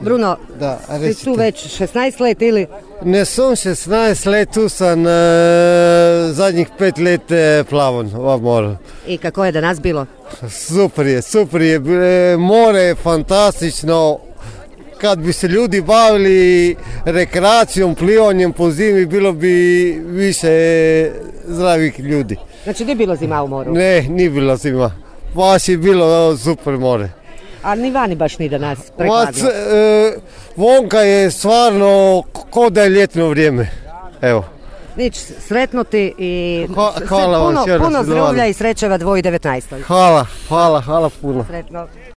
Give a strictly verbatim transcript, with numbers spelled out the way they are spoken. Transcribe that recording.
Bruno, Da, si recite. tu već šesnaest let ili? Ne sam šestnaest let, tu sam e, zadnjih pet let e, plavan u moru. I kako je danas bilo? Super je, super je, e, more je fantastično. Kad bi se ljudi bavili rekreacijom, plivanjem po zimi, bilo bi više zdravih ljudi. Znači nije bilo zima u moru? Ne, nije bilo zima. Baš je bilo super more. A ni vani baš ni danas Vac, prekladno. e, vonka je stvarno ko da je ljetno vrijeme. Evo. Nič, sretno ti i Hva- s- hvala vam, puno, još puno jednom. zdravlja i srećeva dvije tisuće devetnaest. Hvala, hvala, hvala puno. Sretno.